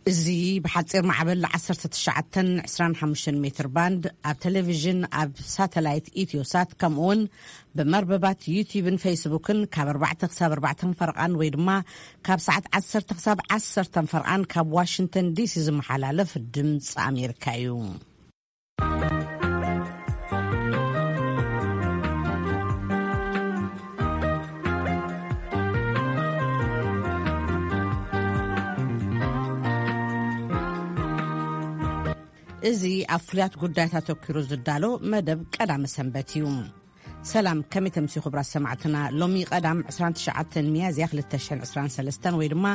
እዚ ብሓጺር ማዕበል ዓሰርተ ትሽዓተ ዕስራን ሓሙሽተን ሜትር ባንድ፣ ኣብ ቴሌቪዥን፣ ኣብ ሳተላይት ኢትዮሳት፣ ከምኡውን ብመርበባት ዩቲዩብን ፌስቡክን ካብ ኣርባዕተ ክሳብ ኣርባዕተ ፈርቓን ወይ ድማ ካብ ሰዓት ዓሰርተ ክሳብ ዓሰርተ ፈርቓን ካብ ዋሽንግተን ዲሲ ዝመሓላለፍ ድምፂ ኣሜሪካ እዩ። እዚ ኣብ ፍሉያት ጉዳያት ኣተኲሩ ዝዳሎ መደብ ቀዳመ ሰንበት እዩ። ሰላም፣ ከመይ ተምስዩ ክቡራት ሰማዕትና? ሎሚ ቀዳም ዕስራን ትሽዓተን ሚያዝያ ክልተ ሽሕን ዕስራን ሰለስተን ወይ ድማ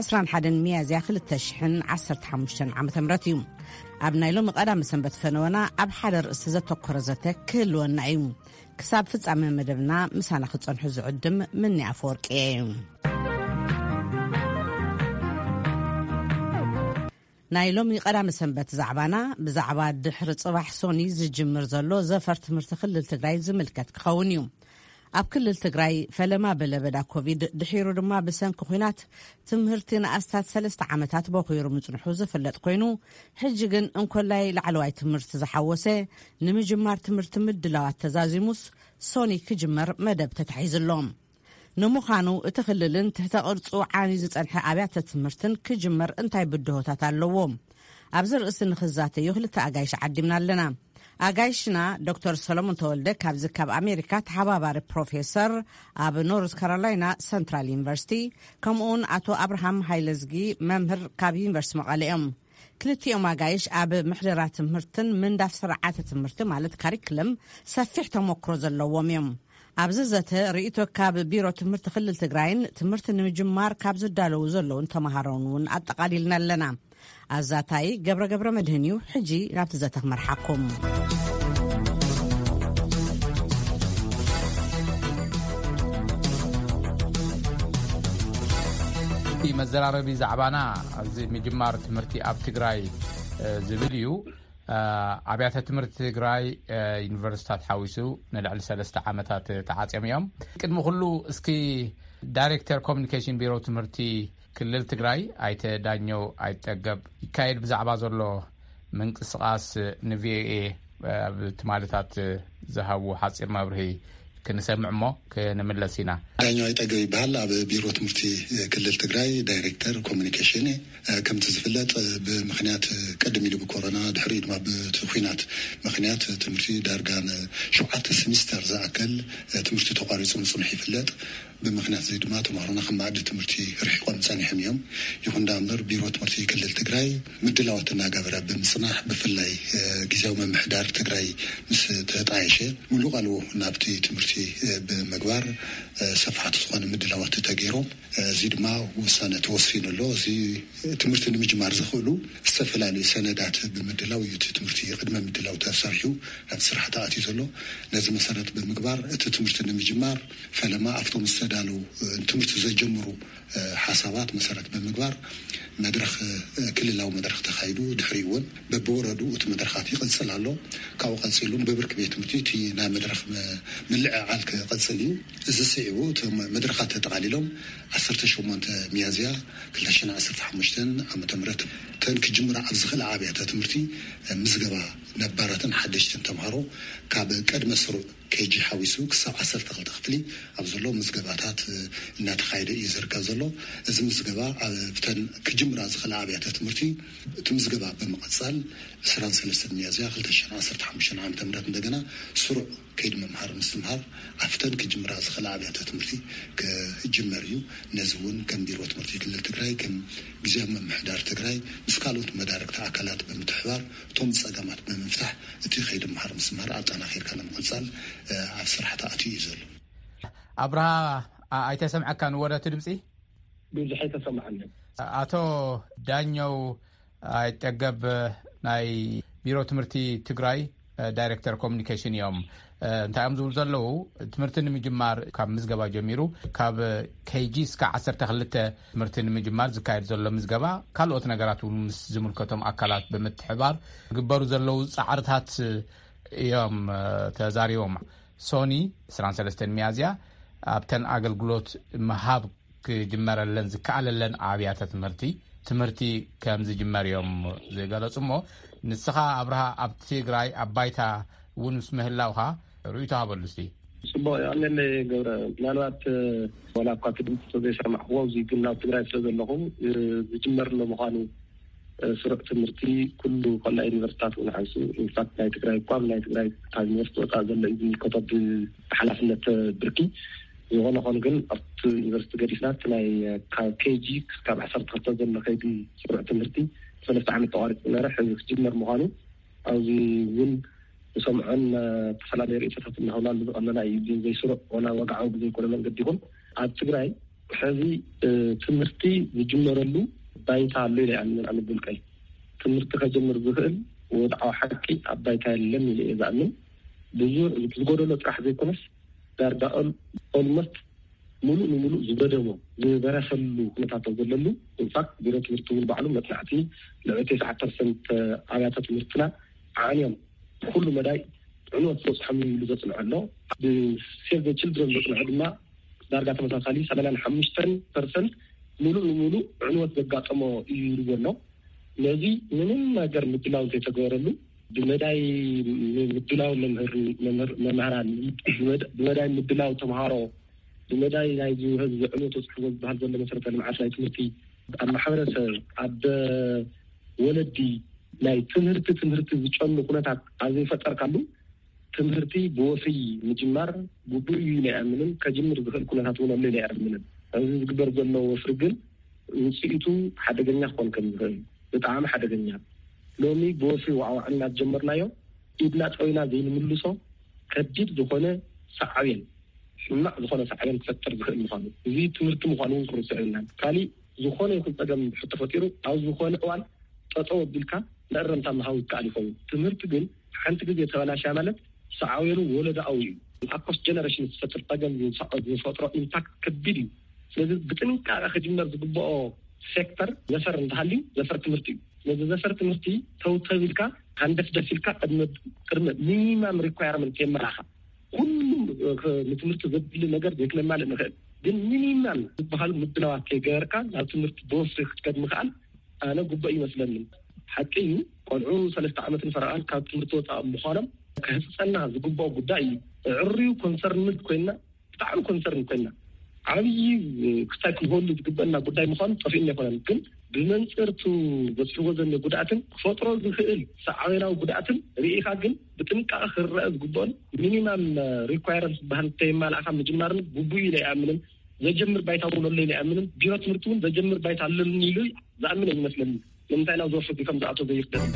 ዕስራን ሓደን ሚያዝያ ክልተ ሽሕን ዓሰርተ ሓሙሽተን ዓመተ ምህረት እዩ። ኣብ ናይ ሎሚ ቀዳመ ሰንበት ፈነወና ኣብ ሓደ ርእሲ ዘተኮረ ዘተ ክህልወና እዩ። ክሳብ ፍጻመ መደብና ምሳና ክጸንሑ ዝዕድም ምኒ ኣፈወርቂ እየ። ናይ ሎሚ ቀዳመ ሰንበት ዛዕባና ብዛዕባ ድሕሪ ጽባሕ ሶኒ ዝጅምር ዘሎ ዘፈር ትምህርቲ ክልል ትግራይ ዝምልከት ክኸውን እዩ። ኣብ ክልል ትግራይ ፈለማ ብለበዳ ኮቪድ ድሒሩ ድማ ብሰንኪ ኲናት ትምህርቲ ንኣስታት ሰለስተ ዓመታት በኺሩ ምጽንሑ ዝፍለጥ ኮይኑ፣ ሕጂ ግን እንኮላይ ላዕለዋይ ትምህርቲ ዝሓወሰ ንምጅማር ትምህርቲ ምድላዋት ተዛዚሙስ ሶኒ ክጅመር መደብ ተታሒዙ ኣሎ። ንምዃኑ እቲ ክልልን ትሕተ ቅርጹ ዓንዩ ዝጸንሐ ኣብያተ ትምህርትን ክጅመር እንታይ ብድሆታት ኣለዎም? ኣብዚ ርእሲ ንኽዛተዩ ክልተ ኣጋይሽ ዓዲምና ኣለና። ኣጋይሽና ዶክተር ሰሎሞን ተወልደ ካብዚ ካብ ኣሜሪካ ተሓባባሪ ፕሮፌሰር ኣብ ኖርዝ ካሮላይና ሰንትራል ዩኒቨርሲቲ፣ ከምኡውን ኣቶ ኣብርሃም ሃይለዝጊ መምህር ካብ ዩኒቨርሲቲ መቐለ እዮም። ክልቲኦም ኣጋይሽ ኣብ ምሕደራ ትምህርትን ምንዳፍ ስርዓተ ትምህርቲ ማለት ካሪክለም ሰፊሕ ተሞክሮ ዘለዎም እዮም። ኣብዚ ዘተ ርእይቶ ካብ ቢሮ ትምህርቲ ክልል ትግራይን ትምህርቲ ንምጅማር ካብ ዝዳለዉ ዘለውን ተምሃሮን እውን ኣጠቓሊልና ኣለና። ኣዛታይ ገብረ ገብረ መድህን እዩ። ሕጂ ናብቲ ዘተ ክመርሓኩም። እቲ መዘራረቢ ዛዕባና እዚ ምጅማር ትምህርቲ ኣብ ትግራይ፣ እ፣ ዝብል እዩ። እ፣ ኣብያተ ትምህርቲ ትግራይ፣ እ፣ ዩኒቨርሲታት ሓዊሱ ንልዕሊ ሰለስተ ዓመታት ተዓጽዮም እዮም። ቅድሚ ኩሉ እስኪ ዳይሬክተር ኮሚኒኬሽን ቢሮ ትምህርቲ ክልል ትግራይ ኣይተ ዳኘው ኣይጠገብ ይካየድ ብዛዕባ ዘሎ ምንቅስቓስ ንቪኦኤ ኣብ ትማልታት ዝሃቡ ሓፂር መብርሂ ክንሰምዕ እሞ ክንምለስ ኢና። ዳኛው ኣይጠገብ ይበሃል። ኣብ ቢሮ ትምህርቲ ክልል ትግራይ ዳይሬክተር ኮሚኒኬሽን። ከምቲ ዝፍለጥ ብምኽንያት ቅድም ኢሉ ብኮሮና ድሕሪኡ ድማ ብቲ ኲናት ምኽንያት ትምህርቲ ዳርጋ ንሸውዓተ ስሚስተር ዝኣክል ትምህርቲ ተቋሪፁ ምፅንሑ ይፍለጥ። ብምኽንያት እዚ ድማ ተምሃሮና ካብ መኣዲ ትምህርቲ ርሒቖም ጸኒሖም እዮም። ይኹን ደኣ እምበር ቢሮ ትምህርቲ ክልል ትግራይ ምድላዋት እናገበረ ብምጽናሕ ብፍላይ፣ እ፣ ግዝያዊ ምምሕዳር ትግራይ ምስ ተጣየሸ ሙሉእ ቃልዎ ናብቲ ትምህርቲ፣ እ፣ ብምግባር፣ እ፣ ሰፋሕቲ ዝኾነ ምድላዋት ተገይሮም፣ እ፣ እዚ ድማ ውሳነ ተወሲኑ ኣሎ። እዚ ትምህርቲ ንምጅማር ዘኽእሉ ዝተፈላለዩ ሰነዳት ብምድላው እዩ እቲ ትምህርቲ ቅድመ ምድላው ተሰሪሑ ናብ ስራሕ ተኣትዩ ዘሎ። ነዚ መሰረት ብምግባር እቲ ትምህርቲ ንምጅማር ፈለማ ኣብቶም ዝተዳለዉ፣ እ፣ ትምህርቲ ዘጀምሩ፣ እ፣ ሓሳባት መሰረት ብምግባር መድረኽ፣ እ፣ ክልላዊ መድረኽ ተኻይዱ። ድሕሪኡ እውን በብወረዱ እቲ መድረኻት ይቕጽል ኣሎ። ካብኡ ቀጺሉ እውን ብብርኪ ቤት ትምህርቲ እቲ ናይ መድረኽ መ-፣ ምልዕዓል ክቐጽል እዩ። እዚ ስዒቡ እቲ መ-፣ መድረኻት ተጠቓሊሎም ዓሰርተ ሸሞንተ ሚያዝያ ክልተ ሽሕን ዓሰርተ ሓሙሽተን ዓመተ ምህረት እተን ክጅምራ ኣብ ዝኽእላ ኣብያተ ትምህርቲ፣ እ፣ ምዝገባ ነባራትን ሓደሽትን ተምሃሮ ካብ ቅድመ ስሩዕ ኬጂ ሓዊሱ ክሳብ ዓሰርተ ክልተ ክፍሊ ኣብ ዘሎ ምዝገባታት፣ እ፣ እናተኻየደ እዩ ዝርከብ ዘሎ። እዚ ምዝገባ ኣብተን ክጅምራ ዝኽእላ ኣብያተ ትምህርቲ እቲ ምዝገባ ብምቕጻል ዕስራን ሰለስተን ሚያዝያ ክልተ ሽሕን ዓሰርተ ሓሙሽተን ዓመተ ምህረት እንደገና ስሩዕ ከይዲ ምምሃር ምስትምሃር ኣብተን ክጅምራ ዝኽእላ ኣብያተ ትምህርቲ ክጅመር እዩ። ነዚ እውን ከም ቢሮ ትምህርቲ ክልል ትግራይ፣ ከም ግዝያዊ ምምሕዳር ትግራይ ምስ ካልኦት መዳርግቲ ኣካላት ብምትሕባር እቶም ጸገማት ብምፍታሕ እቲ ከይዲ ምምሃር ምስትምሃር ኣጠናኺርካ ንምቕጻል፣ እ፣ ኣብ ስራሕ ተኣትዩ እዩ ዘሎ። ኣብርሃ፣ ኣ-፣ ኣይተሰምዐካን ወረ እቲ ድምፂ? ብዙሕ ኣይተሰምዐንን። ኣቶ ዳኘው ኣይጠገብ ናይ ቢሮ ትምህርቲ ትግራይ፣ እ፣ ዳይሬክተር ኮሚኒኬሽን እዮም። እ፣ እንታይ እዮም ዝብሉ ዘለዉ? ትምህርቲ ንምጅማር ካብ ምዝገባ ጀሚሩ ካብ ኬጂ እስከ ዓሰርተ ክልተ ትምህርቲ ንምጅማር ዝካየድ ዘሎ ምዝገባ ካልኦት ነገራት እውን ምስ ዝምልከቶም ኣካላት ብምትሕባር ዝግበሩ ዘለዉ ጻዕርታት እዮም፣ እ፣ ተዛሪቦም። ሶኒ ዕስራን ሰለስተን ሚያዝያ ኣብተን ኣገልግሎት ምሃብ ክጅመረለን ዝከኣለለን ኣብያተ ትምህርቲ ትምህርቲ ከም ዝጅመር እዮም ዝገለጹ። እሞ ንስኻ ኣብርሃ ኣብ ትግራይ ኣብ ባይታ እውን ምስ ምህላውኻ ርእይቶ ሃበሉ እስቲ። ጽቡቕ እዩ። ኣነለ ገብረ፣ ምናልባት ዋላ እኳ እቲ ድምፂ ተዘይሰማዕክዎ፣ ኣብዚ ግን ናብ ትግራይ ስለ ዘለኹ ዝጅመር ኣሎ ምዃኑ ስሩዕ ትምህርቲ ኩሉ ከላ ዩኒቨርሲታት እውን ሓንሱ፣ ኢንፋክት ናይ ትግራይ እኳ ናይ ትግራይ ካብ ዩኒቨርሲቲ ወፃእ ዘሎ እዩ ዝምልከቶ ብሓላፍነት ብርኪ። ዝኾነ ኾን ግን ኣብቲ ዩኒቨርሲቲ ገዲፍና እቲ ናይ ካብ ኬጂ ክሳብ ዓሰርተ ክልተ ዘሎ ከይዲ ስሩዕ ትምህርቲ ሰለስተ ዓመት ተቋሪፁ ነበረ። ሕዚ ክጅመር ምዃኑ ኣብዚ እውን ንሰምዖን ዝተፈላለዩ ርእይቶታት እናሃብና ንዝቐለና እዩ። ግን ዘይስሩዕ ዋላ ወግዓዊ ብዘይኮነ መንገዲ ይኹን ኣብ ትግራይ ሕዚ ትምህርቲ ዝጅመረሉ ባይታ ኣሎ ኢለ ይኣምን። ኣነ ብውልቀይ ትምህርቲ ከጀምር ዝኽእል ወድዓዊ ሓቂ ኣብ ባይታ የለን ኢለ እየ ዝኣምን። ብዙ ዝጎደሎ ጥራሕ ዘይኮነስ ዳርጋ ኦልሞስት ሙሉእ ንሙሉእ ዝገደሞ ዝበረሰሉ ኩነታት ዘለሉ። ኢንፋክት ቢሮ ትምህርቲ እውን ባዕሉ መፅናዕቲ ልዕሊ ተስዓ ፐርሰንት ኣብያተ ትምህርትና ዓንዮም ኩሉ መዳይ ዕንወት ዝበፅሖም ኢሉ ዘፅንዐ ኣሎ። ብሴቭ ችልድረን ዘፅንዐ ድማ ዳርጋ ተመሳሳሊ ሰማንያን ሓሙሽተን ፐርሰንት ሙሉእ ንሙሉእ ዕንወት ዘጋጠሞ እዩ ይብልዎ ኣሎ። ነዚ ምንም ነገር ምድላው ዘይተገበረሉ ብመዳይ ምድላው መምህራን፣ ብመዳይ ምድላው ተምሃሮ፣ ብመዳይ ናይ ህዝቢ ዕንወት ወፅሕዎ ዝበሃል ዘሎ መሰረተ ልምዓት ናይ ትምህርቲ ኣብ ማሕበረሰብ ኣብ ወለዲ ናይ ትምህርቲ ትምህርቲ ዝጨኑ ኩነታት ኣብ ዘይፈጠርካሉ ትምህርቲ ብወፍሪ ምጅማር ግቡእ እዩ ኢለ ኣይኣምንን። ከጅምር ዝኽእል ኩነታት እውን ኣሎ ኢለ ኣይኣምንን። እዚ ዝግበር ዘሎ ወፍሪ ግን ውፅኢቱ ሓደገኛ ክኾን ከም ዝኽእል፣ ብጣዕሚ ሓደገኛ። ሎሚ ብወፍሪ ዋዕዋዕ እናጀመርናዮ ኢድና ጠዊና ዘይንምልሶ ከቢድ ዝኾነ ሳዕቤን፣ ሕማቕ ዝኾነ ሳዕቤን ክፈጥር ዝኽእል ምዃኑ፣ እዚ ትምህርቲ ምዃኑ እውን ክንርስዕ የብልናን። ካሊእ ዝኾነ ይኹን ፀገም ሕቶ ፈጢሩ ኣብ ዝኾነ እዋን ጠጠው ኣቢልካ መእረምታ ምሃብ ይከኣል ይኸውን። ትምህርቲ ግን ሓንቲ ግዜ ተበላሽያ ማለት ሳዕቤኑ ወለዶኣዊ እዩ። ኣብ ፖስት ጀነሬሽን ዝፈጥር ፀገም ዝፈጥሮ ኢምፓክት ከቢድ እዩ። ስለዚ ብጥንቃቐ ክጅመር ዝግበኦ ሴክተር ዘፈር እንተሃልዩ ዘፈር ትምህርቲ እዩ። ስለዚ ዘፈር ትምህርቲ ተውተብ ኢልካ ሃንደፍደፍ ኢልካ ቅድሚ ሚኒማም ሪኳየርመንት የመራኻ። ኩሉ ንትምህርቲ ዘድሊ ነገር ዘይክነማልእ ንኽእል፣ ግን ሚኒማም ዝበሃሉ ምድላዋት ከይገበርካ ናብ ትምህርቲ ብወፍሪ ክትከድ ምኽኣል ኣነ ግቡእ ይመስለኒ። ሓቂ እዩ፣ ቆልዑ ሰለስተ ዓመትን ፈረቓን ካብ ትምህርቲ ወፃእ ምዃኖም ክህፀና ዝግብኦ ጉዳይ እዩ። ዕርዩ ኮንሰርንድ ኮይና፣ ብጣዕሚ ኮንሰርን ኮይና፣ ዓብዪ ክስታይ ክንህሉ ዝግበአና ጉዳይ ምዃኑ ጠፊእና ኣይኮነን። ግን ብመንፅርቱ በፅሕዎ ዘሎ ጉድኣትን ክፈጥሮ ዝኽእል ሳዕቤናዊ ጉድኣትን ርኢኻ ግን ብጥንቃቐ ክረአ ዝግበኦን ሚኒማም ሪኳየረንስ ዝበሃል እንተየማላእካ ምጅማርን ግቡእ ኢለ ኣይኣምንን። ዘጀምር ባይታ እውን ኣሎ ኢለ ኣይኣምንን። ቢሮ ትምህርቲ እውን ዘጀምር ባይታ ኣለኒ ኢሉ ዝኣምን ኣይመስለኒ። ንምንታይ ናብ ዝወፍር ከም ዝኣቶ ዘይርደእ።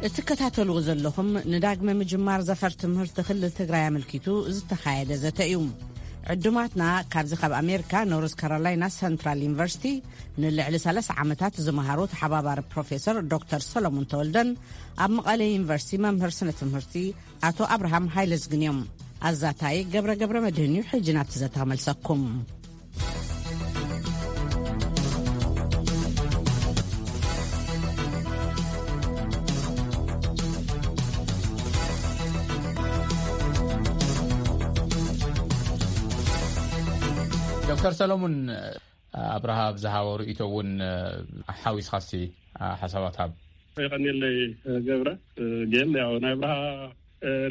እትከታተልዎ ዘለኹም ንዳግመ ምጅማር ዘፈር ትምህርቲ ክልል ትግራይ ኣመልኪቱ ዝተኻየደ ዘተ እዩ። ዕዱማትና ካብዚ ካብ ኣሜሪካ ኖርዝ ካሮላይና ሰንትራል ዩኒቨርሲቲ ንልዕሊ ሰላሳ ዓመታት ዝመሃሩ ተሓባባሪ ፕሮፌሰር ዶክተር ሰሎሞን ተወልደን ኣብ መቐለ ዩኒቨርሲቲ መምህር ስነ ትምህርቲ ኣቶ ኣብርሃም ሃይለዝግን እዮም። ኣዛታይ ገብረ ገብረ መድህን እዩ። ሕጂ ናብቲ ዘተ ክመልሰኩም። ዶክተር ሰሎሙን፣ ኣብርሃ ኣብ ዝሃቦ ርእይቶ እውን ሓዊስኻሲ ሓሳባት ሃብ። የቐንየለይ ገብረ። ግን ያው ናይ ኣብርሃ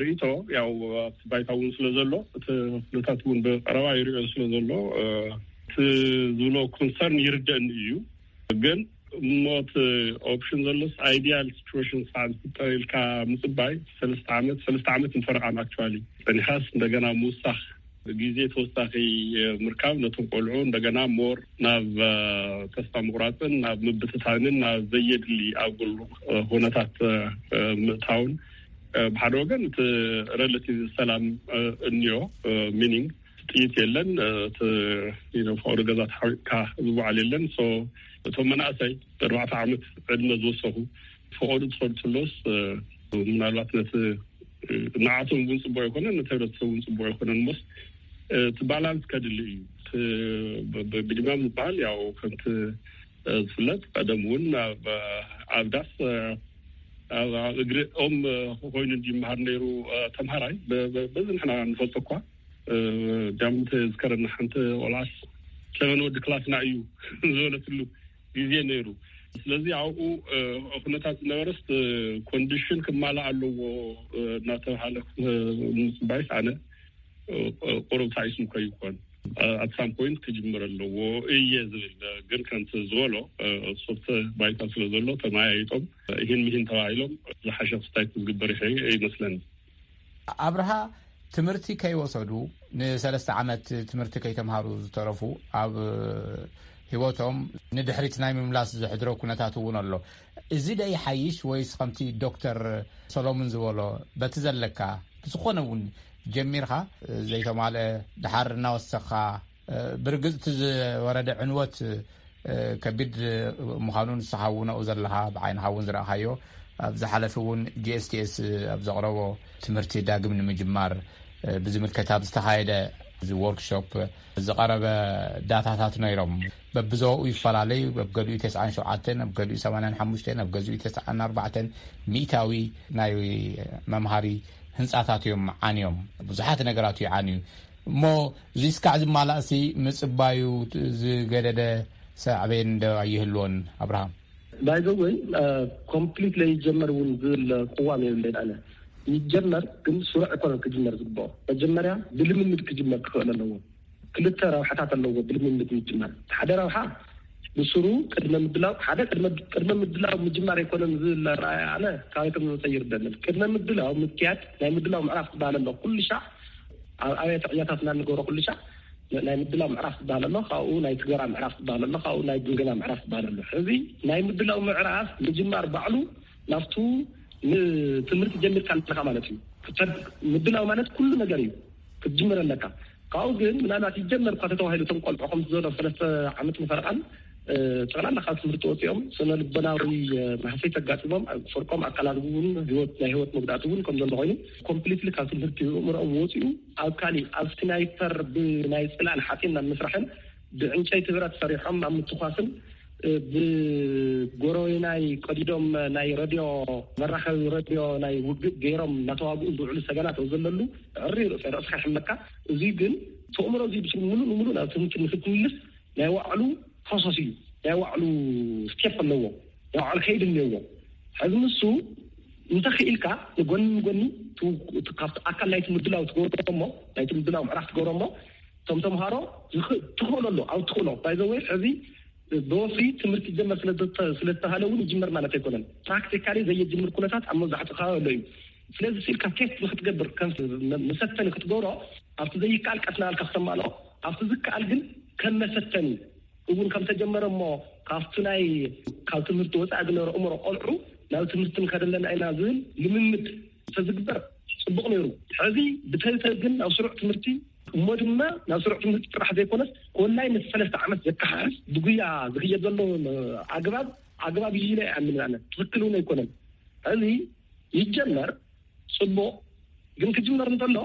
ርእይቶ ያው ኣብቲ ባይታ እውን ስለ ዘሎ፣ እቲ ኩነታት እውን ብቐረባ ይሪኦ ስለ ዘሎ፣ እቲ ዝብሎ ኮንሰርን ይርደእኒ እዩ። ግን እሞ እቲ ኦፕሽን ዘሎስ፣ ኣይዲያል ሲቹዌሽን ስዓብ ዝፍጠር ኢልካ ምፅባይ፣ ሰለስተ ዓመት፣ ሰለስተ ዓመት ንፈረቓን ኣክቹዋሊ ፀኒሓስ እንደገና ምውሳኽ፣ ግዜ ተወሳኺ ምርካብ፣ ነቶም ቆልዑ እንደገና ሞር ናብ ተስፋ ምቑራፅን ናብ ምብትታንን ናብ ዘየድሊ ኣጉል ኩነታት ምእታውን፣ ብሓደ ወገን እቲ ሬላቲቭ ሰላም እንዮ፣ ሚኒንግ ጥይት የለን፣ እቲ ፈቅዶ ገዛ ተሓሪቅካ ዝወዓል የለን። እቶም መናእሰይ ኣርባዕተ ዓመት ዕድመ ዝወሰኹ ፈቀዱ ትኸዱ ትሎስ፣ ምናልባት ነቲ ንዓቶም እውን ፅቡቅ ኣይኮነን፣ ነቲ ህብረተሰብ እውን ፅቡቅ ኣይኮነን። ሞስ እቲ ባላንስ ከድሊ እዩ። ብድማም ዝበሃል ያው ከምቲ ዝፍለጥ ቀደም እውን ኣብ ዳስ ኣብ እግሪ ኦም ኮይኑ እንዲመሃር ነይሩ ተምሃራይ። በዚ ንሕና ንፈልጦ እኳ ጃምተ ዝከረና ሓንቲ ቆልዓስ ሰበን ወዲ ክላስና እዩ ዝበለትሉ ግዜ ነይሩ። ስለዚ ኣብኡ ኩነታት ዝነበረስ ኮንዲሽን ክማላእ ኣለዎ እናተባሃለ ምፅባይስ ኣነ ቁሩብ ታይስ ምኮ ይኮን ኣት ሳም ፖይንት ክጅምር ኣለዎ እየ ዝብል። ግን ከምቲ ዝበሎ ሶፍተ ባይታ ስለ ዘሎ ተመያይጦም ይህን ምሂን ተባሂሎም ዝሓሸ ክስታይ ክዝግበር ይመስለኒ። ኣብርሃ ትምህርቲ ከይወሰዱ ንሰለስተ ዓመት ትምህርቲ ከይተምሃሩ ዝተረፉ ኣብ ህይወቶም ንድሕሪት ናይ ምምላስ ዘሕድሮ ኩነታት እውን ኣሎ። እዚ ደ ይሓይሽ ወይስ ከምቲ ዶክተር ሰሎሙን ዝበሎ በቲ ዘለካ ብዝኾነ እውን ጀሚርካ ዘይተማልአ ድሓር እናወሰኻ ብርግጽ እቲ ዝወረደ ዕንወት ከቢድ ምዃኑ ንስኻ እውን ኣብኡ ዘለኻ ብዓይንኻ እውን ዝረእኻዮ ኣብ ዝሓለፈ እውን ጂ ኤስ ቲ ኤስ ኣብ ዘቕረቦ ትምህርቲ ዳግም ንምጅማር ብዝምልከት ኣብ ዝተኻየደ እዚ ወርክሾፕ ዝቐረበ ዳታታት ነይሮም። በብዞባኡ ይፈላለዩ። ኣብ ገሊኡ ተስዓን ሸውዓተን፣ ኣብ ገሊኡ ሰማንያን ሓሙሽተን፣ ኣብ ገሊኡ ተስዓን ኣርባዕተን ሚእታዊ ናይ መምሃሪ ህንፃታት እዮም ዓንዮም። ብዙሓት ነገራት እዩ ዓንዩ። እሞ እዚ እስካዕ ዝማላእሲ ምፅባዩ ዝገደደ ሳዕቤን ዶ ኣይህልዎን? ኣብርሃም ባይዘወይ ኮምፕሊት ለይጀመር እውን ዝብል ቅዋም የብለይን ኣነ። ይጀመር ግን ስሩዕ ኣይኮነን ክጅመር ዝግብኦ። መጀመርያ ብልምምድ ክጅመር ክኽእል ኣለዎ። ክልተ ረብሓታት ኣለዎ ብልምምድ ምጅማር። ሓደ ረብሓ ብስሩ ቅድመ ምድላው ሓደ ቅድመ ምድላው ምጅማር ኣይኮነን ዝብል ኣረኣእያ ኣነ ካባይቶም ዝመፀ ይርደንን። ቅድመ ምድላው ምክያድ ናይ ምድላው ምዕራፍ ዝበሃል ኣሎ። ኩሉ ሻዕ ኣብ ኣብያተ ዕያታት እናንገበሮ ኩሉ ሻዕ ናይ ምድላው ምዕራፍ ዝበሃል ኣሎ። ካብኡ ናይ ትገራ ምዕራፍ ዝበሃል ኣሎ። ካብኡ ናይ ግምገማ ምዕራፍ ዝበሃል ኣሎ። ሕዚ ናይ ምድላው ምዕራፍ ምጅማር ባዕሉ ናብቱ ንትምህርቲ ጀሚርካ ኣለካ ማለት እዩ። ምድላው ማለት ኩሉ ነገር እዩ ክትጅምር ኣለካ። ካብኡ ግን ምናልባት ይጀመር እኳ ተተባሂሉ እቶም ቆልዑ ከምቲ ዘሎ ሰለስተ ዓመት ንፈረቓን ጠቕላላ ካብ ትምህርቲ ወፂኦም ስነ ልቦናዊ ማህሰይ ተጋጢሞም ፍርቆም ኣካላት እውን ህይወት ናይ ህይወት መጉዳእቲ እውን ከም ዘሎ ኮይኑ ኮምፕሊትሊ ካብ ትምህርቲ እምሮኦም ወፂኡ ኣብ ካሊእ ኣብ ስናይፐር ብናይ ፅላል ሓፂን ናብ ምስራሕን ብዕንጨይቲ ብረት ሰሪሖም ኣብ ምትኳስን ብጎረቤናይ ቀዲዶም ናይ ረድዮ መራኸቢ ረድዮ ናይ ውግእ ገይሮም እናተዋግኡ ዝውዕሉ ሰገናት ዘለሉ ዕሪ ርእሰ ርእስካ ይሕመካ። እዚ ግን ተእምሮ እዚ ብስሩ ሙሉእ ንሙሉእ ናብ ትምህርቲ ንክትምልስ ናይ ዋዕሉ ፕሮሰስ እዩ። ናይ ዋዕሉ ስቴፕ ኣለዎ። ናይ ዋዕሉ ከይድ እኒኦዎ። ሕዚ ንሱ እንተኽኢልካ ንጎኒ ንጎኒ ካብቲ ኣካል ናይቲ ምድላው ትገብሮ እሞ ናይቲ ምድላው ምዕራፍ ትገብሮ እሞ እቶም ተምሃሮ ትኽእሎ ኣሎ ኣብ ትኽእሎ ባይዘወይ ሕዚ ብወፍሪ ትምህርቲ ይጀመር ስለዝተባሃለ እውን ይጅመር ማለት ኣይኮነን። ፕራክቲካሊ ዘየጅምር ኩነታት ኣብ መብዛሕትኡ ከባቢ ኣሎ እዩ። ስለዚ ስኢልካ ቴስት ንክትገብር ከም መሰተኒ ክትገብሮ ኣብቲ ዘይከኣል ቀስ እናበልካ ክተማልኦ ኣብቲ ዝከኣል ግን ከም መሰተኒ እውን ከም ተጀመረ እሞ ካብቲ ናይ ካብ ትምህርቲ ወፃኢ ዝነበረ እምሮ ቆልዑ ናብ ትምህርቲ ንከደለና ኢና ዝብል ልምምድ ተዝግበር ፅቡቕ ነይሩ። ሕዚ ብተብተብ ግን ናብ ስሩዕ ትምህርቲ እሞ ድማ ናብ ስሩዕ ትምህርቲ ጥራሕ ዘይኮነስ ኮላይ ምስ ሰለስተ ዓመት ዘከሓሕስ ብጉያ ዝኽየድ ዘሎ ኣግባብ ኣግባብ እዩ ኢለ ይኣምን ኣነ። ትኽክል እውን ኣይኮነን። ሕዚ ይጀመር ፅቡቕ ግን ክጅመር እንተሎ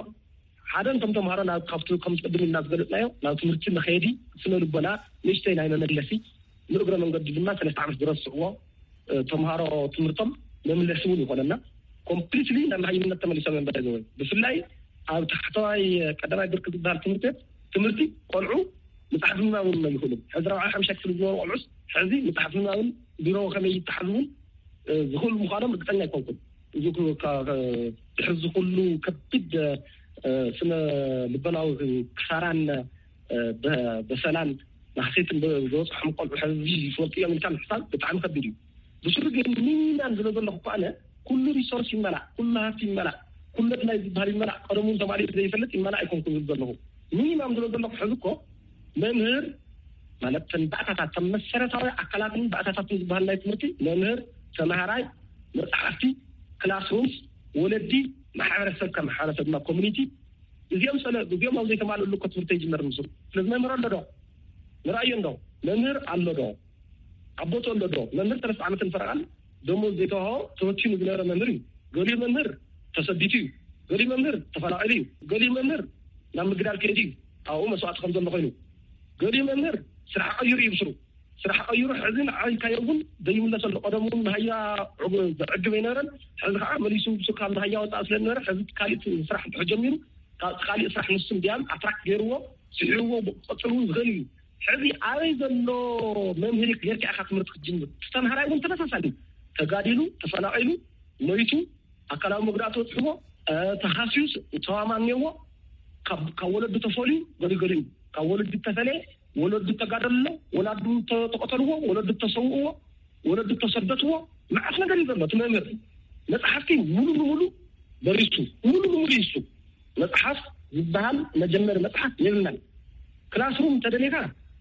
ሓደ እንቶም ተምሃሮ ናብ ካብቲ ከም ቅድም ኢልና ዝገለፅናዮ ናብ ትምህርቲ መኸየዲ ስነ ልቦና ንእሽተይ ናይ መመለሲ ንእግረ መንገዲ ድማ ሰለስተ ዓመት ዝረስዕዎ ተምሃሮ ትምህርቶም መምለሲ እውን ይኾነና። ኮምፕሊትሊ ናብ መሃይምነት ተመሊሶም እዮም በዘወይ ብፍላይ ኣብ ታሕተዋይ ቀዳማይ ብርክ ዝበሃል ትምህርቲ ቤት ትምህርቲ ቆልዑ መፅሓፍ ምንባብ እውን ኣይኽእሉን። ሕዚ ራብዓይ ሓምሻይ ክፍሊ ዝነበሩ ቆልዑስ ሕዚ መፅሓፍ ምንባብን ቢሮ ከመይ ይተሓዝ እውን ዝኽእሉ ምዃኖም ርግፀኛ ኣይኮንኩን። እዚ ድሕዚ ኩሉ ከቢድ ስነ ልቦናዊ ክሳራን በሰላን ማህሴትን ዝበፅሖም ቆልዑ ሕዚ ይፈልጡ እዮም ኢልካ ምሕሳብ ብጣዕሚ ከቢድ እዩ። ብስሩ ግን ሚኒማም ዝለ ዘለኹ እኮ ኣነ ኩሉ ሪሶርስ ይመላእ፣ ኩሉ ሃፍቲ ይመላእ፣ ኩሉ ኣድላይ ዝበሃል ይመላእ። ቀደሙ እውን ተማሊኡ ዘይፈልጥ ይመላእ ኣይኮንኩን ዝብል ዘለኹ። ሚኒማም ዝለ ዘለኹ ሕዚ እኮ መምህር ማለት ተን ባእታታት ተን መሰረታዊ ኣካላትን ባእታታትን ዝበሃል ናይ ትምህርቲ መምህር፣ ተምሃራይ፣ መፅሓፍቲ፣ ክላስሩምስ፣ ወለዲ፣ ማሕበረሰብ ከም ማሕበረሰብ ድማ ኮሚኒቲ እዚኦም ሰለ እዚኦም ኣብ ዘይተማልእሉ እኮ ትምህርቲ ይጅመር ምስሉ። ስለዚ መምህር ኣሎ ዶ? ንርኣዮ እንዶ መምህር ኣሎ ዶ? ኣቦቱ ኣሎ ዶ? መምህር ሰለስተ ዓመትን ፈረቓን ደሞዝ ዘይተዋህቦ ተበቲኑ ዝነበረ መምህር እዩ። ገሊኡ መምህር ተሰዲቱ እዩ። ገሊኡ መምህር ተፈናቒሉ እዩ። ገሊኡ መምህር ናብ ምግዳል ከይዱ እዩ። ኣብኡ መስዋእቲ ከም ዘሎ ኮይኑ ገሊኡ መምህር ስራሕ ቀይሩ እዩ ብስሩ። ስራሕ ቀይሩ፣ ሕዚ ንዓይ ኢልካዮ እውን ዘይምለሰሉ። ቀደም እውን መሃያ ዕጉ-፣ ዘዕግብ ኣይነበረን። ሕዚ ከዓ መሊሱ ንሱ ካብ መሃያ ወፃእ ስለ ዝነበረ፣ ሕዚ ካሊእ ስራሕ እንድሕር ጀሚሩ፣ ካብ ካሊእ ስራሕ ንሱ እንዲያም ኣትራክት ገይርዎ፣ ስዒርዎ፣ ቀፅሉ እውን ዝኽእል እዩ። ሕዚ ኣበይ ዘሎ መምህር ጌርካ ኢኻ ትምህርቲ ክትጅምር? እቲ ተምሃራይ እውን ተመሳሳሊ፣ ተጋዲሉ፣ ተፈናቒሉ፣ ሞይቱ፣ ኣካላዊ መጉዳእቲ በፅሕዎ፣ እ፣ ተሃስዩስ፣ ተዋማን እኒአዎ። ካብ፣ ካብ ወለዱ ተፈልዩ፣ ገሊኡ፣ ገሊኡ ካብ ወለዱ ተፈለየ፣ ወለዱ ተጋደሉ ኣሎ፣ ወላዱ ተ-፣ ተቐተልዎ፣ ወለዱ ተሰውእዎ፣ ወለዱ ተሰደትዎ። መዓት ነገር እዩ ዘሎ። እቲ መምህር መፅሓፍቲ ሙሉ ንሙሉ በሪሱ፣ ሙሉ ንሙሉ ይሱ። መፅሓፍ ዝበሃል መጀመሪ መፅሓፍ የብልናን። ክላስሩም እንተደሊኻ፣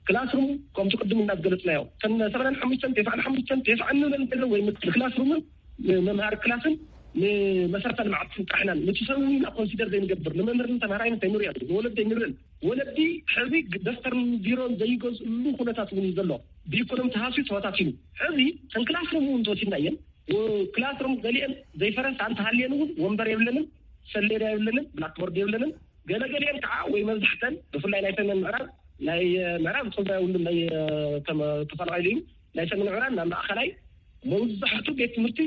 ክላስሩም ከምቲ ቅድም እናዝገለፅናዮ፣ እተን ሰብዓን ሓሙሽተን፣ ተስዓን ሓሙሽተን፣ ተስዓን ንብለን ነገር ወይ ክላስሩምን ንመምሃሪ ክላስን ንመሰረተ ልምዓትን ጥራሕ ኢና። ነቲ ሰብ እውን ኢና ኮንሲደር ዘይንገብር፣ ንመምህርን ተምሃራይን ዘይንሪኦ፣ ንወለዲ ኣይንርእን። ወለዲ ሕዚ ደፍተርን ቢሮን ዘይገዝእሉ ኩነታት እውን እዩ ዘሎ። ብኢኮኖሚ ተሃስዩ ተበታቲኑ። ሕዚ እተን ክላስሩም እውን እንተወሲድናየን፣ ወ-፣ ክላስሩም ገሊአን ዘይፈረሳ እንተሃልየን እውን ወንበር የብለንን፣ ሰሌዳ የብለንን፣ ብላክቦርድ የብለንን። ገለገሊአን ከዓ ወይ መብዛሕተን ብፍላይ ናይ ሰሜን ምዕራብ፣ ናይ፣ እ፣ ምዕራብ እቶም ናይ ውልም ናይ፣ እ፣ ተመ-፣ ተፈናቒሉ እዩ። ናይ ሰሜን ምዕራብ ናብ ማእኸላይ መብዛሕቱ ቤት ትምህርቲ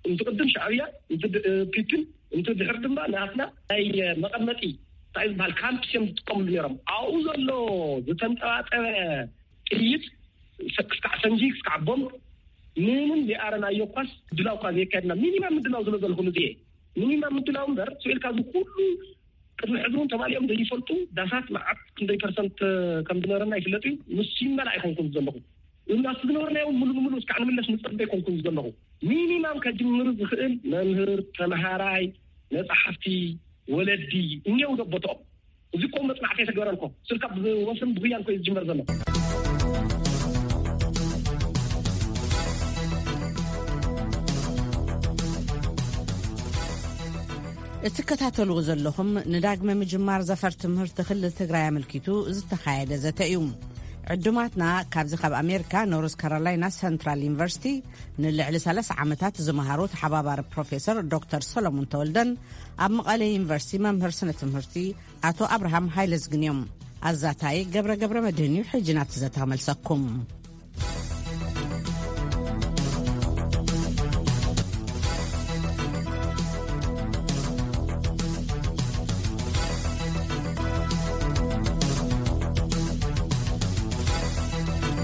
እንትቕድም ሻዕብያ፣ እንት ድ-፣ እ፣ ፒፒን፣ እንት ድሕር ድማ ናትና ናይ፣ እ፣ መቐመጢ እንታይ ዝበሃል ካምፕስ እዮም ዝጥቀምሉ ነይሮም። ኣብኡ ዘሎ ዝተንጠባጠበ ጥይት ሰ-፣ ክስካዕ ፈንጂ፣ ክስካዕ ቦምብ ምንም ዘይኣረናዮ እኳስ ድላው እኳ ዘየካየድና። ሚኒማም ምድላው ዝሎ ዘለኹም እዚ እየ። ሚኒማም ምድላው እምበር ስኢልካ እዚ ኩሉ ቅድሚ ሕዚ እውን ተማሊኦም ዘይፈልጡ ዳሳት መዓት ክንደይ ፐርሰንት ከም ዝነበረና ይፍለጥ እዩ። ንሱ ይመላ ኣይኮንኩን ዘለኹ። እናስ ዝነበርናዮ እውን ሙሉ ንሙሉ እስካዕ ንምለስ ንጸበ ኣይኮንኩን ዘለኹ። ሚኒማም ከጅምር ዝኽእል መምህር፣ ተምሃራይ፣ መጻሕፍቲ፣ ወለዲ እኒአው ዶ ቦትኦም? እዚ እኮ መጽናዕቲ የተገበረን እኮ። ስልካ ብወፍርን ብጉያን እኮ እዩ ዝጅመር ዘሎ። እትከታተልዎ ዘለኹም ንዳግመ ምጅማር ዘፈር ትምህርቲ ክልል ትግራይ ኣመልኪቱ ዝተኻየደ ዘተ እዩ። ዕዱማትና ካብዚ ካብ ኣሜሪካ ኖርዝ ካሮላይና ሰንትራል ዩኒቨርሲቲ ንልዕሊ ሰላሳ ዓመታት ዝመሃሩ ተሓባባሪ ፕሮፌሰር ዶክተር ሰሎሞን ተወልደን ኣብ መቐለ ዩኒቨርሲቲ መምህር ስነ ትምህርቲ ኣቶ ኣብርሃም ሃይለዝግን እዮም። ኣዛታይ ገብረ ገብረ መድህን እዩ። ሕጂ ናብቲ ዘተ ክመልሰኩም።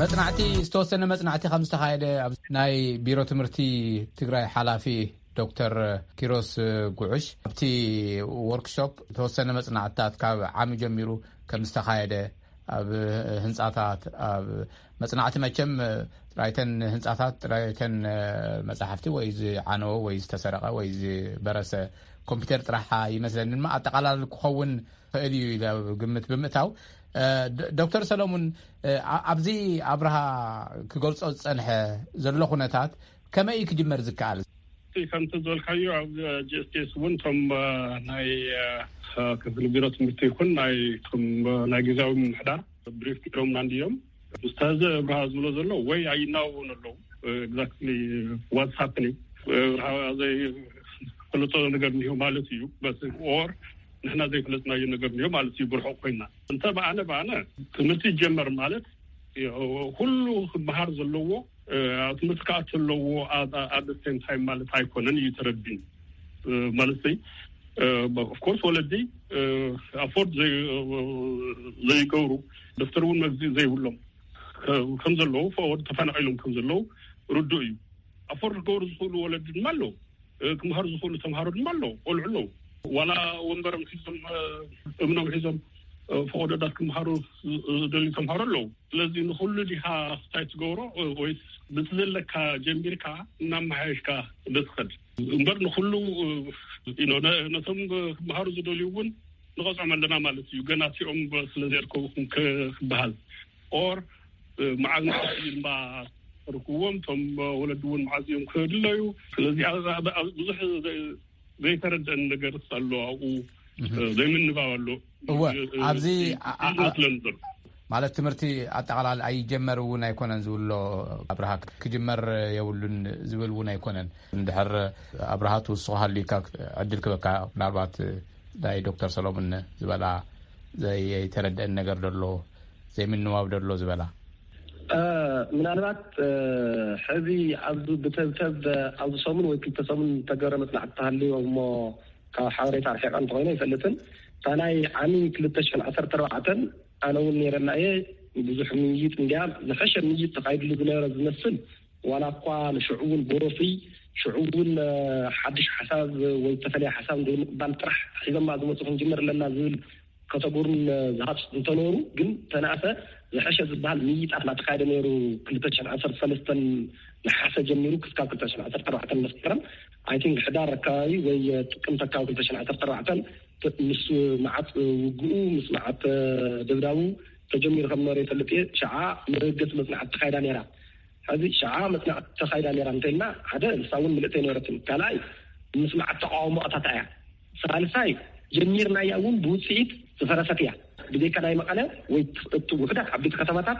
መጽናዕቲ፣ ዝተወሰነ መጽናዕቲ ከም ዝተኻየደ ኣብ ናይ ቢሮ ትምህርቲ ትግራይ ሓላፊ ዶክተር ኪሮስ ጉዕሽ ኣብቲ ወርክሾፕ ዝተወሰነ መጽናዕትታት ካብ ዓሚ ጀሚሩ ከም ዝተኻየደ፣ ኣብ ህንጻታት፣ ኣብ መጽናዕቲ መቸም ጥራይተን ህንጻታት፣ ጥራይተን መጻሕፍቲ ወይ ዝዓነወ ወይ ዝተሰረቐ ወይ ዝበረሰ ኮምፒውተር ጥራሕ ይመስለኒ፣ ድማ ኣጠቓላሊ ክኸውን ይኽእል እዩ ኢለ ግምት ብምእታው፣ እ፣ ዶ-፣ ዶክተር ሰለሙን፣ እ፣ ኣ-፣ ኣብዚ ኣብርሃ ክገልጾ ዝጸንሐ ዘሎ ኩነታት ከመይ እዩ ክጅመር ዝከኣል? እቲ ከምቲ ዝበልካዮ ኣብ ጂ ኤስ ቲ ኤስ እውን እቶም፣ እ፣ ናይ፣ እ፣ ክፍሊ ቢሮ ትምህርቲ ይኹን ናይ፣ እቶም፣ እ፣ ናይ ግዜያዊ ምምሕዳር ብሪፍ ገይሮምና እንድዮም። ኡስታዝ ኣብርሃ ዝብሎ ዘሎ ወይ ኣይናወውን ኣለዉ። እ፣ exactly what's happening? እ፣ ኣብርሃ ዘይፈለጦ ነገር እንዲሁ ማለት እዩ። በስ ኦር ንሕና ዘይፈለጥናዮ ነገር እንዲሁ ማለት እዩ። ብርሑቕ ኮይና እንተ ብኣነ፣ ብኣነ ትምህርቲ ይጀመር ማለት ኩሉ ክመሃር ዘለዎ፣ እ፣ ኣብ ትምህርቲ ክኣቱ ኣለዎ። ኣብ፣ ኣብ the same time ማለት ኣይኮነን እዩ ተረዲኒ። እ፣ ማለት ዘይ-፣ እ፣ of course ወለዲ፣ እ፣ ኣፎርድ ዘይ-፣ ዘይገብሩ፣ ደፍተር እውን መግዚ ዘይብሎም ከ-፣ ከም ዘለዉ፣ ፈ-፣ ተፈናቒሎም ከም ዘለዉ ርዱእ እዩ። ኣፎርድ ክገብሩ ዝኽእሉ ወለዲ ድማ ኣለዉ። እ፣ ክምሃሩ ዝኽእሉ ተምሃሮ ድማ ኣለዉ፣ ቆልዑ ኣለዉ። ዋላ ወንበሮም ሒዞም፣ እ፣ እምኖም ሒዞም፣ እ፣ ፈቐዶታት ክምሃሩ ዝ-፣ ዝደልዩ ተምሃሮ ኣለዉ። ስለዚ ንኹሉ ዲኻ ክታይ ትገብሮ፣ እ፣ ወይስ በቲ ዘለካ ጀሚርካ እናመሓየሽካ ዶ ትኸድ? እምበር ንኹሉ፣ እ፣ you know፣ ነ-፣ ነቶም ክምሃሩ ዝደልዩ እውን ንቐጽዖም ኣለና ማለት እዩ። ገና እቲኦም ስለ ዘየርከቡ ክም-፣ ክ-፣ ክበሃል። ኦር፣ እ፣ መዓዝ መዓዝ እዩ ድማ ርክዎም፣ እቶም ወለዲ እውን መዓዝ እዮም ክድለዩ። ስለዚ ኣብ፣ ኣብ፣ ኣብ ብዙሕ ዘ-፣ ዘይተረደአን ነገር ኣሎ ኣብኡ፣ እህ። እ፣ ዘይምንባብ ኣሎ። እወ፣ እ፣ ኣብዚ እ፣ ኣ-፣ ኣ-፣ ይመስለኒ ዘሎ። ማለት ትምህርቲ ኣጠቓላሊ ኣይጀመር እውን ኣይኮነን ዝብሎ ኣብርሃ፣ ክጅመር የብሉን ዝብል እውን ኣይኮነን። እንድሕር ኣብርሃ ትውስኾ ሃልዩካ ዕድል ክበካ፣ ምናልባት ናይ ዶክተር ሰሎሙን ዝበላ ዘይተረደአን ነገር ደሎ፣ ዘይምንባብ ደሎ ዝበላ። እ፣ ምናልባት፣ እ፣ ሕዚ ኣብዚ ብተብተብ ኣብዚ ሰሙን ወይ ክልተ ሰሙን ተገረ መጽናዕቲ ተሃልዮ እሞ ካብ ሓበሬታ ርሒቐ እንተኾይነ ኣይፈልጥን። እታ ናይ ዓሚ ክልተ ሽሕን ዓሰርተ ኣርባዕተን ኣነ እውን ነይረና እየ። ብዙሕ ምይይጥ እንዲያ ዝሐሸ ምይይጥ ተኻይድሉ ዝነበረ ዝመስል፣ ዋላ እኳ ንሽዑ እውን ብወፍሪ ሽዑ እውን፣ እ፣ ሓድሽ ሓሳብ ወይ ዝተፈለየ ሓሳብ ዘይምቕባል ጥራሕ ሒዞማ ዝመፁ ክንጅምር ኣለና ዝብል ከተጉርን ዝሃፅ እንተኖሩ፣ ግን ተናእሰ ዝሐሸ ዝበሃል ምይይጣት እናተኻየደ ነይሩ። ክልተ ሽሕን ዓሰርተ ሰለስተን ነሓሰ ጀሚሩ ክስካብ ክልተ ሽሕን ዓሰርተ ኣርባዕተን መስከረም፣ ኣይ ቲንክ፣ ሕዳር ኣካባቢ ወይ ጥቅምቲ ኣካባቢ ክልተ ሽሕን ዓሰርተ ኣርባዕተን ምስ መዓት ውግኡ፣ ምስ መዓት ደብዳቡ ተጀሚሩ ከም ነበረ ይፈልጥ እየ። ሸዓ መበገሲ መጽናዕቲ ተኻይዳ ነይራ። ሕዚ ሸዓ መጽናዕቲ ተኻይዳ ነይራ እንተልና፣ ሓደ ንሳ እውን ምልእቲ ኣይነበረትን። ካልኣይ ምስ መዓት ተቃውሞ ኣታታ እያ። ሳልሳይ ጀሚርናያ እውን ብውጽኢት ዝፈረሰት እያ። ብዘይካ ናይ መቐለ ወይ እቲ ውሕዳት ዓበይቲ ከተማታት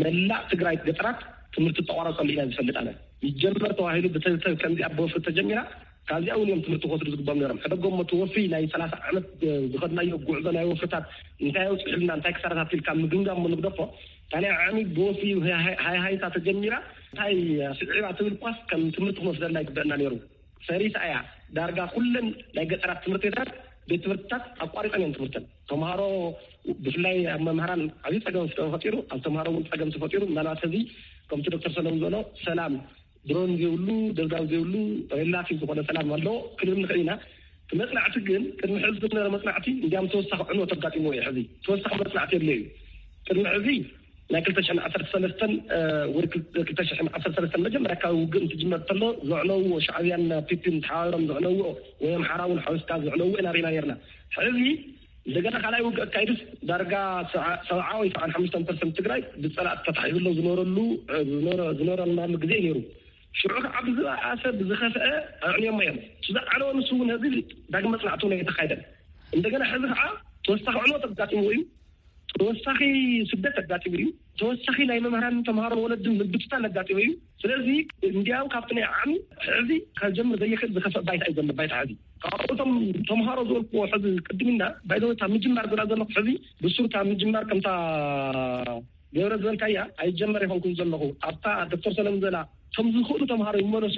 መላእ ትግራይ ገጠራት ትምህርቲ ተቋረጸሉ ኢና ዝፈልጥ ኣነ። ይጀመር ተባሂሉ ብተንተን ከምዚኣ ብወፍሪ ተጀሚራ፣ ካብዚኣ እውን እዮም ትምህርቲ ክወስዱ ዝግባኦም ነይሮም። ሕደጎም እቲ ወፍሪ ናይ ሰላሳ ዓመት ዝኸድናዮ ጉዕዞ ናይ ወፍርታት እንታይ ኣውፅሑልና፣ እንታይ ክሳራታት ኢልካ ምግምጋም እሞ ንግደፎ። እታ ናይ ዓሚ ብወፍሪ ሃይ-፣ ሃይ-፣ ሃይታ ተጀሚራ እንታይ ስዒባ ትብል ኳስ ከም ትምህርቲ ክንወስደላ ይግበአና ነይሩ። ፈሪሳ እያ። ዳርጋ ኩለን ናይ ገጠራት ትምህርቲ ቤታት፣ ቤት ትምህርትታት ኣቋሪፀን እዮም ትምህርተን። ተምሃሮ ብፍላይ ኣብ መምህራን ዓብዪ ፀገም ተፈጢሩ፣ ኣብ ተምሃሮ እውን ፀገም ተፈጢሩ። ምናልባት ሕዚ ከምቲ ዶክተር ሰለሙን ዝበሎ ሰላም ድሮን ዘይብሉ፣ ደብዳብ ዘይብሉ ሬላቲቭ ዝኾነ ሰላም ኣሎ ክንብል ንኽእል ኢና። እቲ መጽናዕቲ ግን ቅድሚ ሕዚ ዝነበረ መጽናዕቲ እንዲያም ተወሳኺ ዕንወት ኣጋጢምዎ እዩ። ሕዚ ተወሳኺ መጽናዕቲ የድልዮ እዩ። ቅድሚ ሕዚ ናይ ክልተ ሽሕን ዓሰርተ ሰለስተን፣ እ፣ ወይ ክል-፣ ክልተ ሽሕን ዓሰርተ ሰለስተን መጀመርያ ካብ ውግእ እንትጅመር ከሎ ዘዕነውዎ ሻዕብያን ፒፒን ተሓባቢሮም ዘዕነውዎ ወይ ኣምሓራ እውን ሓዊስካ ዘዕነውዎ ኢና ርኢና ነርና። ሕዚ እንደገና ካልኣይ ውግእ ኣካይዱስ ዳርጋ ሰብዓ፣ ሰብዓ ወይ ሰብዓን ሓሙሽተን ፐርሰንት ትግራይ ብጸላእቲ ተታሒዙ ኣሎ ዝነበረሉ፣ እ፣ ዝነበረ-፣ ዝነበረናሉ ግዜ ነይሩ። ሽዑ ከዓ ብዝበኣሰ ብዝኸፍአ ኣዕንዮሞ እዮም። እቲ ዝዓነወ ንሱ እውን ህዝቢ ዳግም መጽናዕቲ እውን ኣይተኻይደን። እንደገና ሕዚ ከዓ ተወሳኺ ዕንወት ኣጋጢምዎ እዩ። ተወሳኺ ስደት ኣጋጢሙ እዩ። ተወሳኺ ናይ መምህራን ተምሃሮን ወለድን ምብትታን ኣጋጢሙ እዩ። ስለዚ እንዲያው ካብቲ ናይ ዓሚ ሕዚ ከጀምር ዘይኽእል ዝኸፍአ ባይታ እዩ ዘሎ፣ ባይታ ሕዚ። ካብኡ እቶም ተምሃሮ ዝበልክዎ ሕዚ ቅድም ኢልና ባይዘወታ ምጅማር ዝላ ዘለኹ ሕዚ ብሱር እታ ምጅማር ከምታ ገብረ ዝበልካያ ኣይጀመር ይኾንኩን ዘለኹ። ኣብታ ዶክተር ሰለሙን ዘላ እቶም ዝኽእሉ ተምሃሮ ይመለሱ፣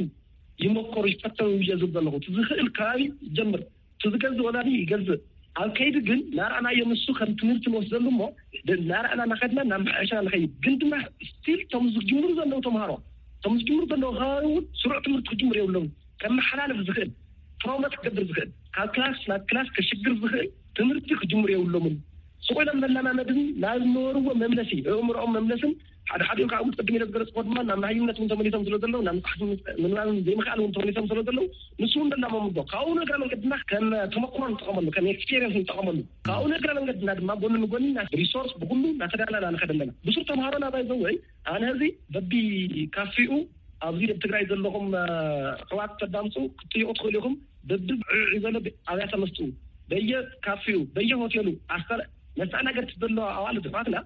ይመከሩ፣ ይፈተኑ እየ ዝብል ዘለኹ። እቲ ዝኽእል ከባቢ ይጀምር፣ እቲ ዝገዝእ ወላዲ ይገዝእ። ኣብ ከይዲ ግን ናርኣናዮ ንሱ ከም ትምህርቲ ንወስደሉ እሞ ድ-፣ ናርኣና እናኸድና ናብ መሓየሻ ንኸይድ። ግን ድማ ስቲል እቶም ዝጅምሩ ዘለዉ ተምሃሮ፣ እቶም ዝጅምሩ ዘለዉ ከባቢ እውን ስሩዕ ትምህርቲ ክጅምሩ የብሎም። ከመሓላልፍ ዝኽእል፣ ፕሮሞት ክገብር ዝኽእል፣ ካብ ክላስ ናብ ክላስ ከሽግር ዝኽእል ትምህርቲ ክጅምሩ የብሎምን። ስቕ ኢሎም መለማመድን ናብ ዝነበርዎ መምለሲ፣ ኣእምሮኦም መምለስን ሓደ ሓዲኦም ካብ ቅድም ኢለ ዝገለጽኩዎ ድማ ናብ መሃይምነት እውን ተመሊሶም ስለ ዘለዉ፣ ናብ መጽሓፍ ምንባብን ዘይምኽኣል እውን ተመሊሶም ስለ ዘለዉ፣ ንሱ እውን ደላሞም ኣሎ። ካብኡ ንእግረ መንገድና ከም ተመክሮ ንጠቐመሉ፣ ከም ኤክስፔሪየንስ ንጠቐመሉ። ካብኡ ንእግረ መንገድና ድማ ጎኒ ንጎኒ ና-፣ ሪሶርስ ብኩሉ እናተዳለና ንኸድ ኣለና። ብሱር ተምሃሮና ባይ ዘ ወይ ኣነ እዚ በቢ ካፊኡ ኣብዚ ኣብ ትግራይ ዘለኹም፣ እ፣ ኣሕዋት ተዳምፁ ክትጥይቁ ትኽእሉ ኢኹም። በቢ ዕዕ ዝበለ ብ-፣ ኣብያተ መስትኡ፣ በየ ካፊኡ፣ በየ ሆቴሉ፣ ኣስተር-፣ መስተኣናገድቲ ዘለዎ ኣዋልድ ኣሕዋትና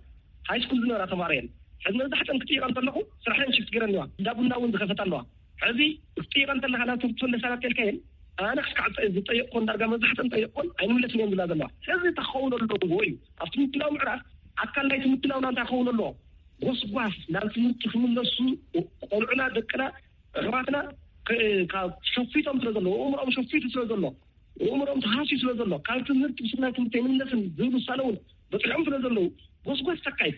ሃይ ስኩል ዝነበራ ተማሃሮ እየን። ሕዚ መብዛሕትአን ክጥይቐ እንተለኹ ስራሐን ሽፍት ገይረን ኣለዋ። እንዳ ቡና እውን ዝኸፈታ ኣለዋ። ሕዚ ክትጥይቐ እንተለኻ ናብ ትምህርቲ ትምለሳ ናት ከልካየን ኣነ ክስካዕ ዝጠየቅኮን ዳርጋ መብዛሕትአን ጠየቅኮን ኣይንምለስን እዮም ዝብላ ዘለዋ። ሕዚ እንታይ ክኸውን ኣለዎ እዩ ኣብቲ ምድላው ምዕራፍ ኣካል ናይቲ ምድላውና እንታይ ክኸውን ኣለዎ? ጎስጓስ ናብ ትምህርቲ ክምለሱ ቆልዑና ደቅና ኣሕዋትና ከ-፣ ካብ ሸፊቶም ስለ ዘለዉ፣ ኣእምሮኦም ሸፊቱ ስለ ዘሎ፣ ኣእምሮኦም ተሃስዩ ስለ ዘሎ፣ ካብ ትምህርቲ ብስናይ ትምህርቲ ኣይምለስን ዝብሉ ውሳነ እውን በፂሖም ስለ ዘለዉ፣ ጎስጓስ ተካይድ።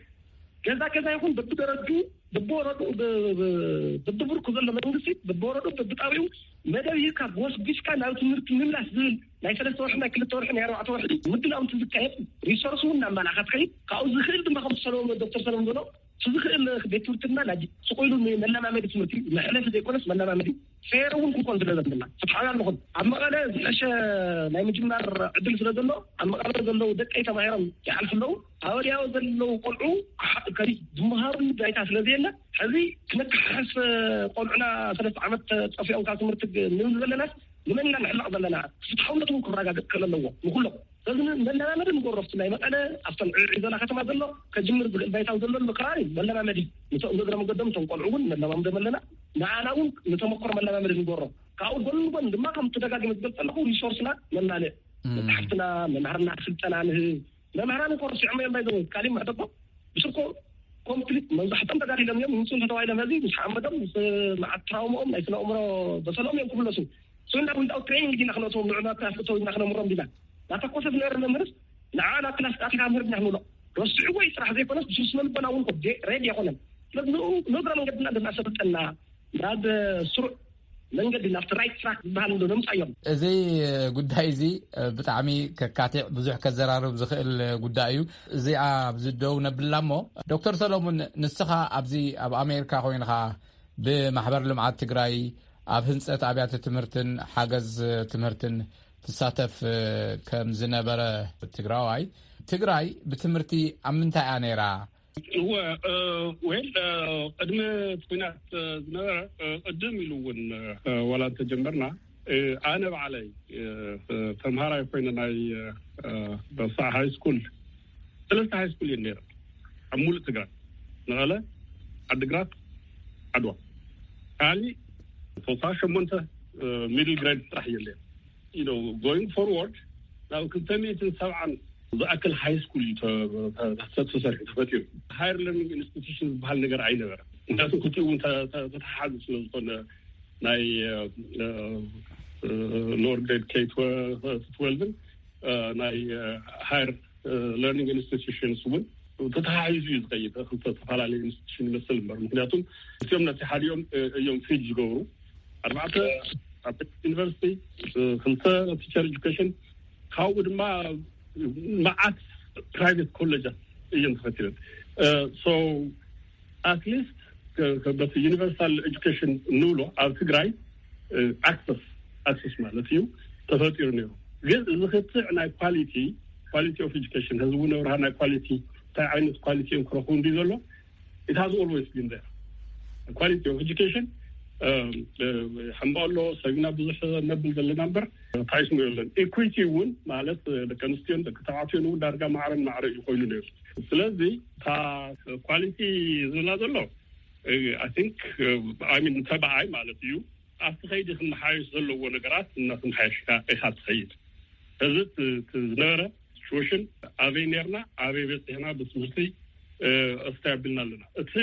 ገዛ ገዛ ይኹን በብደረጁ፣ በብወረዱ፣ ብ-፣ ብ-፣ በብብርኩ ዘሎ መንግስቲ፣ በብወረዱ፣ በብጣቢኡ መደብ ሂብካ ጎስጒስካ ናብ ትምህርቲ ምምላስ ዝብል ናይ ሰለስተ ወርሒ፣ ናይ ክልተ ወርሒ፣ ናይ ኣርባዕተ ወርሒ ምድላው እንትዝካየድ ሪሶርስ እውን እናመላእካ ትኸይድ። ካብኡ ዝኽእል ድማ ከምቲ ሰለሞን፣ ዶክተር ሰለሞን ዝበሎ፣ እቲ ዝኽእል ቤት ትምህርትና ናይ ስቕ ኢሉ ንመለማመዲ ትምህርቲ መሕለፊ ዘይኮነስ መለማመዲ ፌር እውን ክኾን ስለ ዘለና ፍትሓውያን ንኹን። ኣብ መቐለ ዝሐሸ ናይ ምጅማር ዕድል ስለ ዘሎ ኣብ መቐለ ዘለዉ ደቀይ ተማሂሮም ይሓልፉ ኣለዉ። ኣብ ወዲያው ዘለዉ ቆልዑ ክሓ-፣ ከዚ ዝመሃሩሉ ባይታ ስለ ዘየለ ሕዚ ክነከሓሕስ ቆልዑና ሰለስተ ዓመት ጠፊኦም ካብ ትምህርቲ ግ-፣ ንብል ዘለናስ ንመን ኢና ንሕለቕ ዘለና? ፍትሓውነት እውን ክረጋገጥ ክኽእል ኣለዎ ንኹሎም። ስለዚ መለማመዲ ንገብሮ ኣብቲ ናይ መቐለ ኣብተን ዕዒ ዘላ ከተማ ዘሎ ከጅምር ዝኽእል ባይታዊ ዘሎ ኣሎ ከባቢ መለማመዲ ንቶም እግረ መገዶም እቶም ቆልዑ እውን ነለማምዶም ኣለና። ንዓና እውን ንተመክሮ መለማመዲ ንገብሮ። ካብኡ ጎን ንጎን ድማ ከም ተደጋግመ ዝገልፅ ኣለኹ ሪሶርስና ነማልእ። መፅሓፍትና፣ መምሃርና ስልጠና ንህብ። መምሃራን እኮ ረሲዖም እዮም ባይዘው ካሊእ ምሕደጎ ብስርኮ ኮምፕሊት መብዛሕቶም ተጋዲሎም እዮም። ምስ ተተባሂሎም፣ ሕዚ ምስ ሓመዶም፣ ምስ መዓት ትራውምኦም፣ ናይ ስነ ኣእምሮ በሰሎም እዮም ክምለሱ። ሶ እንዳ ዊንታው ትሬኒንግ ዲና ክነእትዎም፣ ንዕና ክነእትዎም ኢልና ክነምሮም ዲና ናተኮሰ ዝነበረ መምህርስ ንዓ ናብ ክላስ ኣቲካ ምህር ዲና ክንብሎ፣ ረስዕዎ እዩ። ስራሕ ዘይኮነስ ብስነ ልቦና እውን ኮ ሬዲ ኣይኮነን። ስለዚ ንኡ ንእግረ መንገድና እንድናሰልጠና ናብ ስሩዕ መንገዲ፣ ናብቲ ራይት ትራክ ዝበሃል እንዶ ነምፃዮም። እዚ ጉዳይ እዚ ብጣዕሚ ከካቲዕ፣ ብዙሕ ከዘራርብ ዝኽእል ጉዳይ እዩ። እዚኣ ኣብዚ ደው ነብላ እሞ፣ ዶክተር ሰሎሙን፣ ንስኻ ኣብዚ ኣብ ኣሜሪካ ኮይንኻ ብማሕበር ልምዓት ትግራይ ኣብ ህንፀት ኣብያተ ትምህርትን ሓገዝ ትምህርትን ትሳተፍ ከም ዝነበረ ትግራዋይ፣ ትግራይ ብትምህርቲ ኣብ ምንታይ እያ ነይራ? እወ፣ እ፣ ዌል፣ እ፣ ቅድሚ እቲ ኲናት፣ እ፣ ዝነበረ፣ እ፣ ቅድም ኢሉ እውን፣ እ፣ ዋላ እንተጀመርና፣ እ፣ ኣነ ባዕለይ፣ እ፣ እ፣ ተምሃራይ ኮይነ ናይ፣ እ፣ እ፣ በሳዕ ሃይ ስኩል፣ ሰለስተ ሃይ ስኩል እየን ነይረ ኣብ ሙሉእ ትግራይ፣ መቐለ፣ ዓድግራት፣ ዓድዋ። ካሊ ተወሳኺ ሸሞንተ፣ እ፣ ሚድል ግሬድ ጥራሕ እየን ነይረ። You know, going forward፣ ናብ ክልተ ሚእትን ሰብዓን ዝኣክል ሃይ ስኩል እዩ ተ-፣ ተ-፣ ተ-፣ ተሰሪሑ፣ ተፈጢሩ። ሃየር ለርኒንግ ኢንስቲትዩሽን ዝበሃል ነገር ኣይነበረ። ምክንያቱም ክልቲኡ እውን ተ-፣ ተ-፣ ተተሓሓዙ ስለ ዝኾነ፣ ናይ፣ እ፣ እ፣ ሎወር ግሬድ ኬ ትወልቭን፣ እ፣ ናይ፣ እ፣ ሃየር፣ እ፣ ለርኒንግ ኢንስቲትዩሽንስ እውን ተተሓሒዙ እዩ ዝኸይድ። ክልተ ዝተፈላለዩ ኢንስቲትዩሽን ይመስል እምበር፣ ምክንያቱም እዚኦም ነቲ ሓዲኦም፣ እ፣ እዮም ፊድ ዝገብሩ። ኣርባዕተ ኣብ ዩኒቨርሲቲ፣ እ፣ ክልተ ቲቸር ኤጁኬሽን፣ ካብኡ ድማ መዓት ፕራይቬት ኮሌጃት እየን ተፈቲረን። እ፣ ሶ ኣትሊስት ከ-፣ ከ-፣ በቲ ዩኒቨርሳል ኤጁኬሽን እንብሎ ኣብ ትግራይ፣ እ፣ ኣክሰስ፣ ኣክሰስ ማለት እዩ፣ ተፈጢሩ ነይሩ። ግን እዚ ክትዕ ናይ ኳሊቲ፣ ኳሊቲ ኦፍ ኤጁኬሽን፣ ህዝቡ ነብርሃ ናይ ኳሊቲ፣ እንታይ ዓይነት ኳሊቲ እዮም ክረኽቡ እንዲ ዘሎ፣ it has always been there። ኳሊቲ ኦፍ ኤጁኬሽን፣ እ፣ እ፣ ሕምባሎ ሰቢና ብዙሕ ነብል ዘለና እምበር፣ ታይስሙ የለን። ኢኩዊቲ እውን ማለት፣ እ፣ ደቂ ኣንስትዮን ደቂ ተባዕትዮን እውን ዳርጋ ማዕረን ማዕረ እዩ ኮይኑ ነይሩ። ስለዚ እታ ኳሊቲ ዝብላ ዘሎ፣ እ፣ I think፣ እ፣ I mean፣ ተባዓይ ማለት እዩ። ኣብቲ ከይዲ ክመሓየሽ ዘለዎ ነገራት እናተመሓየሽካ ኢኻ ትኸይድ። እዚ እቲ፣ እቲ ዝነበረ ሲቹዌሽን፣ ኣበይ ነርና፣ ኣበይ በፂሕና፣ ብትምህርቲ፣ እ፣ እስታይ ኣቢልና ኣለና። እቲ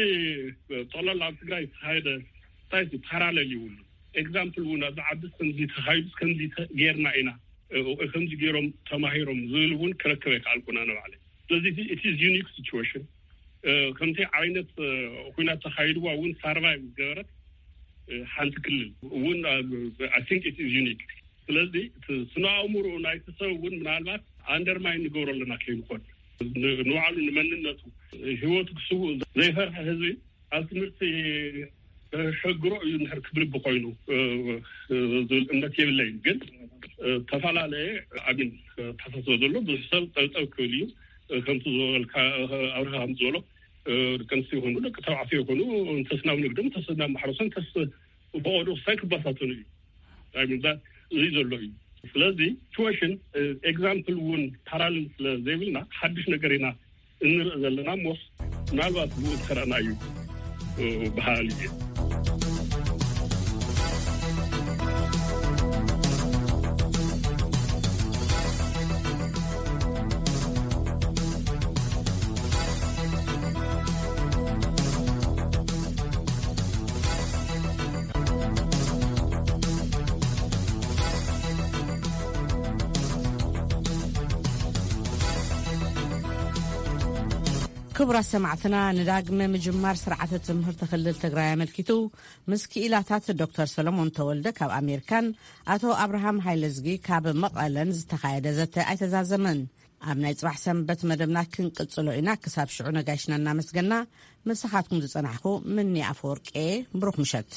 ጠቕላላ ኣብ ትግራይ ዝተኻየደ እንታይ እቲ ፓራሌል ይብሉ። ኤግዛምፕል እውን ኣብዚ ዓዲ ከምዚ ተኻይዱ፣ ከምዚ ተ-፣ ጌርና ኢና፣ እ፣ ከምዚ ገይሮም ተማሂሮም ዝብል እውን ክረክብ ኣይከኣልኩን ኣነ ባዕለይ። ስለዚ እቲ፣ it is unique situation። እ፣ ከምቲ ዓይነት፣ እ፣ ኩናት ተኻይድዋ እውን ሳርቫይቭ ዝገበረት፣ እ፣ ሓንቲ ክልል እውን፣ እ፣ I think it is unique። ስለዚ እቲ ስነ ኣእምሮ ናይቲ ሰብ እውን ምናልባት ኣንደርማይን ንገብሮ ኣለና ከይንኾን፣ ን-፣ ንባዕሉ ንመንነቱ፣ ህይወቱ ክስውእ ዘይፈርሐ ህዝቢ ኣብ ትምህርቲ ከሸግሮ እዩ እንድሕር ክብል ብኮይኑ፣ እ፣ እ፣ ዝብል እምነት የብለይን። ግን፣ እ፣ ተፈላለየ ኣሚን ተሓሳስበ ዘሎ ብዙሕ ሰብ ጠብጠብ ክብል እዩ። እ፣ ከምቲ ዝበልካ፣ እ፣ ኣብርሃ ከም ዝበሎ፣ እ፣ ደቂ ኣንስትዮ ይኹኑ ደቂ ተባዕትዮ ይኹኑ እንተስ ናብ ንግድም፣ እንተስ ናብ ማሕረስን፣ እንተስ ብቆዶ ክሳይ ክባታተኑ እዩ። I mean፣ that እዚ ዘሎ እዩ። ስለዚ ሲቹዌሽን፣ እ፣ ኤግዛምፕል እውን ፓራሌል ስለ ዘይብልና ሓድሽ ነገር ኢና እንርኢ ዘለና እሞስ ምናልባት ብኡ ዝኸረእና እዩ፣ እ፣ በሃሊ እየ። ክቡራት ሰማዕትና፣ ንዳግመ ምጅማር ስርዓተ ትምህርቲ ክልል ትግራይ ኣመልኪቱ ምስ ክኢላታት ዶክተር ሰሎሞን ተወልደ ካብ ኣሜሪካን ኣቶ ኣብርሃም ሃይለዝጊ ካብ መቐለን ዝተኻየደ ዘተ ኣይተዛዘመን። ኣብ ናይ ጽባሕ ሰንበት መደብና ክንቅጽሎ ኢና። ክሳብ ሽዑ ነጋይሽና እናመስገና፣ ምሳኻትኩም ዝጸናሕኩ ምኒ ኣፈወርቄ። ብሩኽ ምሸት።